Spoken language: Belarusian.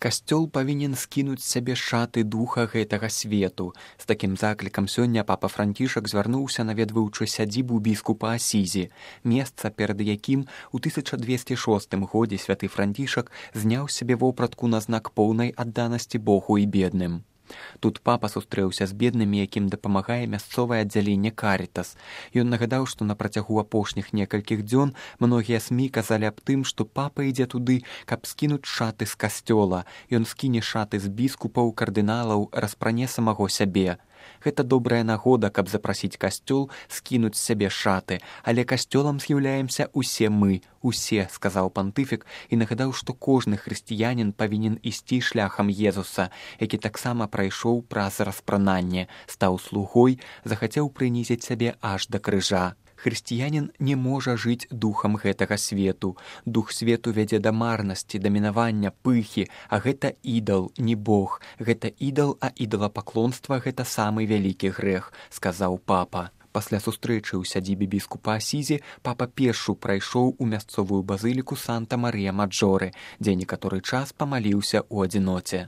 Касцёл павінен скінуць з сябе шаты духа гэтага свету. З такім заклікам сёння папа Францішак звярнуўся, наведваючы сядзібу біскупа Асізі, месца, перад якім у 1206 годзе святы Францішак зняў з сябе вопратку на знак поўнай адданасці Богу і бедным. Тут папа сустрэўся з беднымі, якім дапамагае мясцовае аддзяленне Карітас. Ён нагадаў, што на працягу апошніх некалькіх дзён многія СМІ казалі аб тым, што папа ідзе туды, каб скінуць шаты з касцёла. Ён скіне шаты з біскупаў, кардыналаў, распране самого сябе. Гэта добрая нагода, каб запрасіць касцёл скінуць з сябе шаты, але касцёлам з'яўляемся усе мы, усе, сказаў пантыфік і нагадаў, што кожны хрысціянін павінен ісці шляхам Езуса, які таксама прайшоў праз распрананне, стаў слугой, захацеў прынізіць сябе аж да крыжа. Хрысціянін не можа жыць духам гэтага свету. Дух свету вядзе да марнасці, да мінавання, пыхі, а гэта ідал, не Бог. Гэта ідал, а ідалапаклонства – гэта самы вялікі грэх, сказаў папа. Пасля сустрэчы ў сядзібе біскупа Асізі папа пешшу прайшоў у мясцовую базыліку Санта-Марыя-Маджоры, дзе некаторы час памаліўся ў адзіноце.